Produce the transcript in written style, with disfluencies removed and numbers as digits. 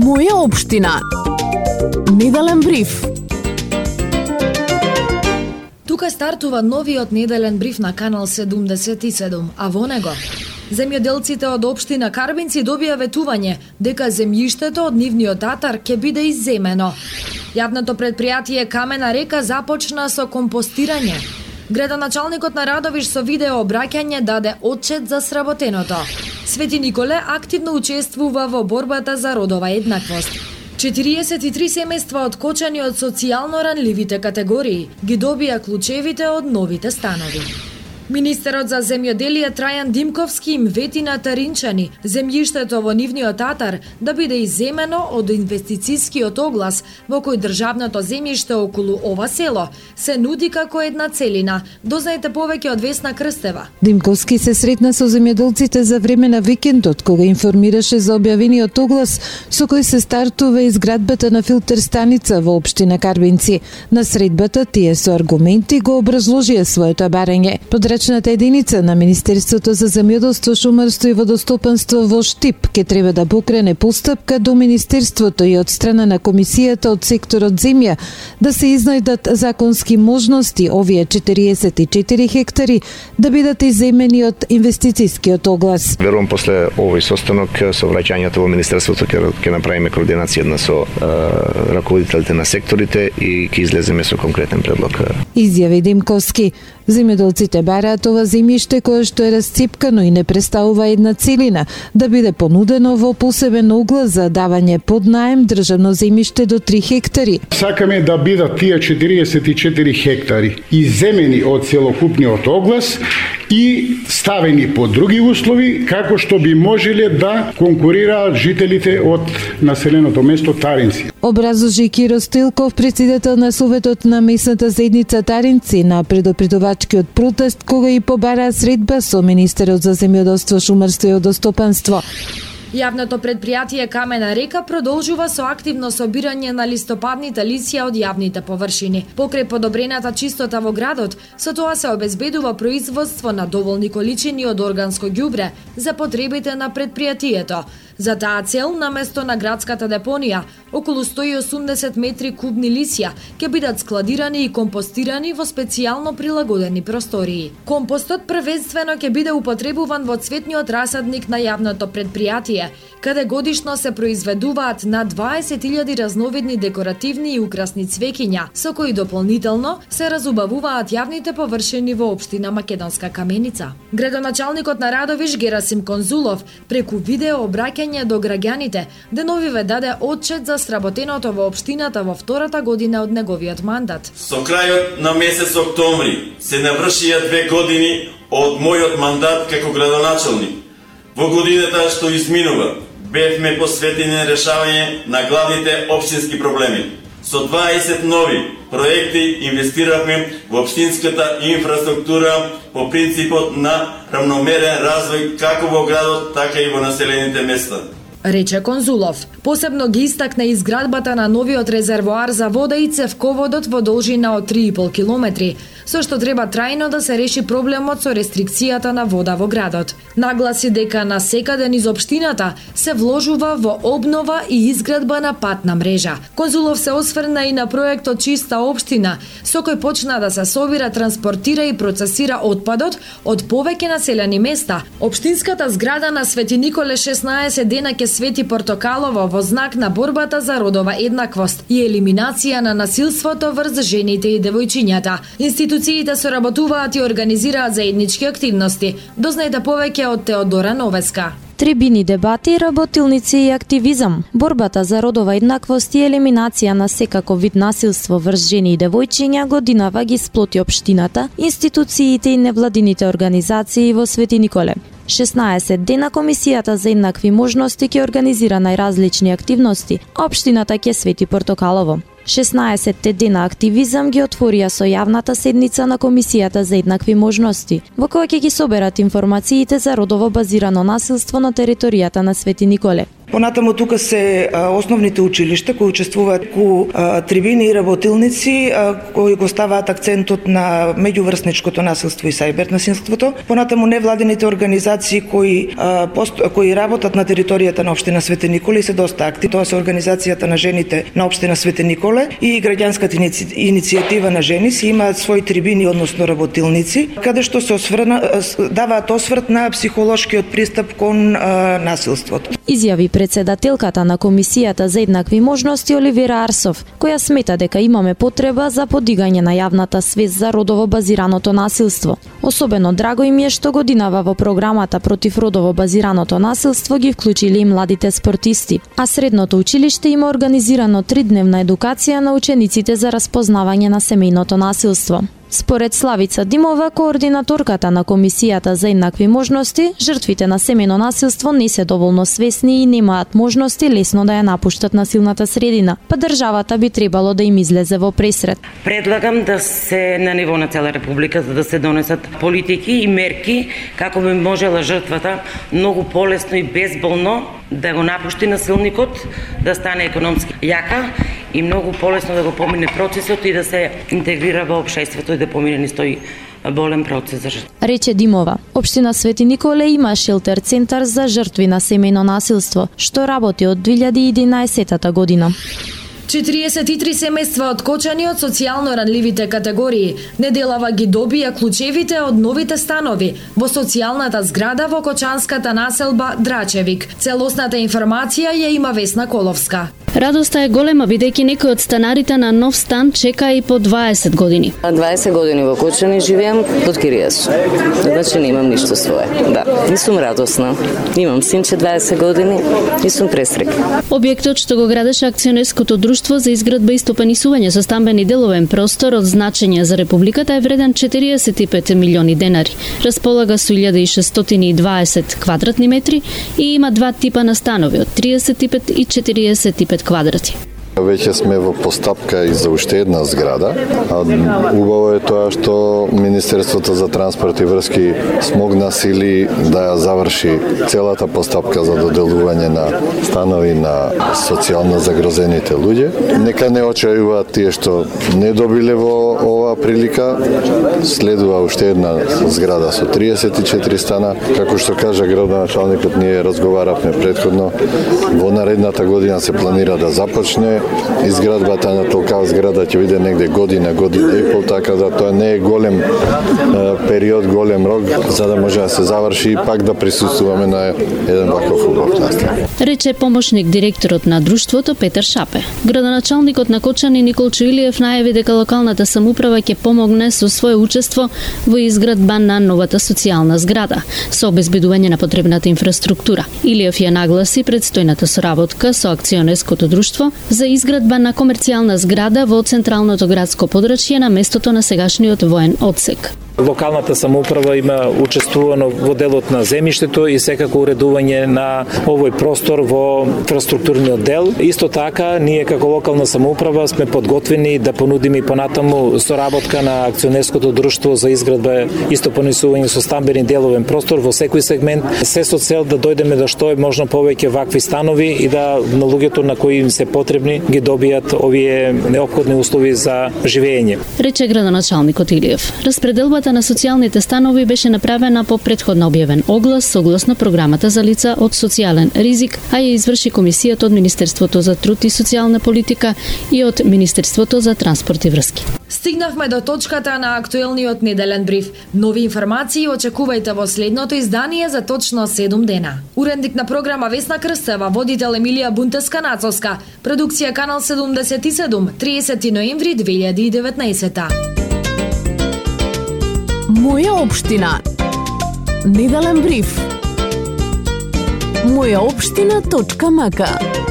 Моја општина. Неделен бриф. Тука стартува новиот неделен бриф на Канал 77, а во него земјоделците од општина Карбинци добија ветување дека земјиштето од нивниот татар ќе биде изземено. Јавното предпријатие Камена река започна со компостирање. Градоначалникот на Радовиш со видео обраќање даде отчет за сработеното. Свети Николе активно учествува во борбата за родова еднаквост. 43 семејства откочени од социјално ранливите категории ги добија клучевите од новите станови. Министерот за земјоделие Трајан Димковски им вети на таринчани земјиштето во нивниот татар да биде изземено од инвестицискиот оглас во кој државното земјиште околу ова село се нуди како една целина. Дознаете повеќе од Весна Крстева. Димковски се сретна со земјоделците за време на викендот, кога информираше за објавениот оглас со кој се стартува изградбата на филтер станица во општина Карбинци. На средбата тие со аргументи го образложија своето барање. Подрачната единица на Министерството за земјоделство, шумарство и водостопанство во Штип ќе треба да покрене постапка до Министерството и од страна на комисијата од секторот земја да се изнајдат законски можности овие 44 хектари да бидат изземени од инвестицискиот оглас. Верувам после овој состанок со враќањето во Министерството ќе направиме координација една со раководителите на секторите и ќе излеземе со конкретен предлог. Изјави Димковски. Земјоделците бараат ова земјиште кое што е расципкано и не представува една целина да биде понудено во посебен оглас за давање под наем државно земјиште до 3 хектари. Сакаме да бидат тие 44 хектари изземени од целокупниот оглас и ставени по други услови како што би можеле да конкурираат жителите од населеното место Таринци. Образложи Киро Стилков, председател на Советот на местната заедница Таринци, на предопредувачкиот протест кога и побараа средба со министерот за земјоделство, шумарство и водостопанство. Јавното предпријатие Камена река продолжува со активно собирање на листопадните лисја од јавните површини. Покрај подобрената чистота во градот, со тоа се обезбедува производство на доволни количини од органско ѓубре за потребите на предпријатието. За таа цел, наместо на градската депонија, околу 180 метри кубни лисја ќе бидат складирани и компостирани во специјално прилагодени простории. Компостот првенствено ќе биде употребуван во цветниот расадник на јавното предпријатие, каде годишно се произведуваат на 20.000 разновидни декоративни и украсни цвеќиња, со кои дополнително се разубавуваат јавните површини во општина Македонска Каменица. Градоначалникот на Радовиш Герасим Конзулов преку видео обраќање до граѓаните деновиве даде отчет за сработеното во општината во втората година од неговиот мандат. Со крајот на месец октомври се навршија 2 години од мојот мандат како градоначалник. Во годината што изминува, бевме посветени решавање на главните општински проблеми. Со 20 нови проекти инвестиравме во општинската инфраструктура по принципот на равномерен развој како во градот, така и во населените места, рече Конзулов. Посебно ги истакна изградбата на новиот резервоар за вода и цевководот во должина од 3,5 километри, со што треба трајно да се реши проблемот со рестрикцијата на вода во градот. Нагласи дека на секаде низ општината се вложува во обнова и изградба на патна мрежа. Конзулов се осврна и на проектот Чиста општина, со кој почна да се собира, транспортира и процесира отпадот од повеќе населени места. Општинската зграда на Свети Николе 16 дена ќе свети портокалово во знак на борбата за родова еднаквост и елиминација на насилството врз жените и девојчињата. Институциите соработуваат и организираат заеднички активности. Дознаете повеќе од Теодора Новеска. Трибини, дебати, работилници и активизам. Борбата за родова еднаквост и елиминација на секако вид насилство врз жени и девојчиња годинава ги сплоти општината, институциите и невладините организации во Свети Николе. 16 дена Комисијата за еднакви можности ќе организира најразлични активности, а општината ќе свети портокалово. 16 дена активизам ги отворија со јавната седница на Комисијата за еднакви можности, во која ќе ги соберат информациите за родово базирано насилство на територијата на Свети Николе. Понатаму тука се основните училишта кои учествуваат ку трибини и работилници кои го ставаат акцентот на меѓуврсничкото насилство и сајбер насилството. Понатаму невладините организации кои работат на територијата на општина Свети Николе и се доста активни. Тоа се организацијата на жените на општина Свети Николе и граѓанската иницијатива на жени си имаат своји трибини, односно работилници, каде што се даваат осврт на психолошкиот пристап кон насилството. Изјави председателката на Комисијата за еднакви можности Оливера Арсов, која смета дека имаме потреба за подигање на јавната свест за родово базираното насилство. Особено драго им е што годинава во програмата против родово базираното насилство ги вклучили и младите спортисти, а средното училиште има организирано 3-дневна едукација на учениците за распознавање на семејното насилство. Според Славица Димова, координаторката на Комисијата за еднакви можности, жртвите на семејно насилство не се доволно свесни и немаат можности лесно да ја напуштат насилната средина, па државата би требало да им излезе во пресред. Предлагам да се на ниво на цела република за да се донесат политики и мерки како би можела жртвата многу полесно и безболно да го напушти насилникот, да стане економски јака и многу полесно да го помине процесот и да се интегрира во општеството и да помине низ тој болен процес за жртва. Рече Димова, општина Свети Николе има шелтер центар за жртви на семејно насилство, што работи од 2011 година. 43 семејства откочени од социјално ранливите категории. Неделава ги добија клучевите од новите станови во социјалната зграда во Кочанската населба Драчевик. Целосната информација ја има Весна Коловска. Радоста е голема бидејќи некои од станарите на нов стан чека и по 20 години. 20 години во Кочани живеам под кирија сум. Значи немам ништо свое. Да, и сум радосна. Имам синче 20 години и сум пресрекна. Објектот што го градеше акционерското друштво за изградба и стопанисување со стамбен и деловен простор од значење за републиката е вреден 45 милиони денари. Располага со 1620 квадратни метри и има два типа на станови од 35 и 45 квадрати. Веќе сме во постапка и за уште една зграда. Убаво е тоа што Министерството за транспорт и врски смогна сили да ја заврши целата постапка за доделување на станови на социјално загрозените луѓе. Нека не очајуваат тие што не добиле во оваа прилика. Следува уште една зграда со 34 стана. Како што кажа градоначалникот, ние разговаравме претходно. Во наредната година се планира да започне изградбата на толкава зграда, ќе биде негде година и пол, така да тоа не е голем период, голем рок, за да може да се заврши и пак да присуствуваме на еден ваков убав настан. Рече помошник директорот на друштвото Петар Шапе. Градоначалникот на Кочани Никол Чуилиев најави дека локалната самоуправа ќе помогне со свое учество во изградба на новата социјална зграда, со обезбедување на потребната инфраструктура. Илиев ја нагласи предстојната соработка со акционерското друштво за изградба на комерцијална зграда во централното градско подрачје на местото на сегашниот воен одсек. Локалната самоуправа има учествувано во делот на земјиштето и секако уредување на овој простор во инфраструктурниот дел. Исто така, ние како локална самоуправа сме подготвени да понудиме и понатаму соработка на акционерското друштво за изградба и стопанисување со стамбен и деловен простор во секој сегмент, се со цел да дојдеме до што е можно повеќе вакви станови и да на луѓето на кои им се потребни ги добијат овие неопходни услови за живење. Рече градоначалникот Илиев. Распределбата на социјалните станови беше направена по претходно објавен оглас согласно програмата за лица од социјален ризик, а ја изврши комисијата од Министерството за труд и социјална политика и од Министерството за транспорт и врски. Стигнавме до точката на актуелниот неделен бриф. Нови информации очекувајте во следното издание за точно 7 дена. Уредник на програма Весна Крстева, водител Емилија Бунтеска-Нацовска, продукција Канал 77, 30 ноември 2019. Моја општина. Неделен бриф. Мојаопштина.мк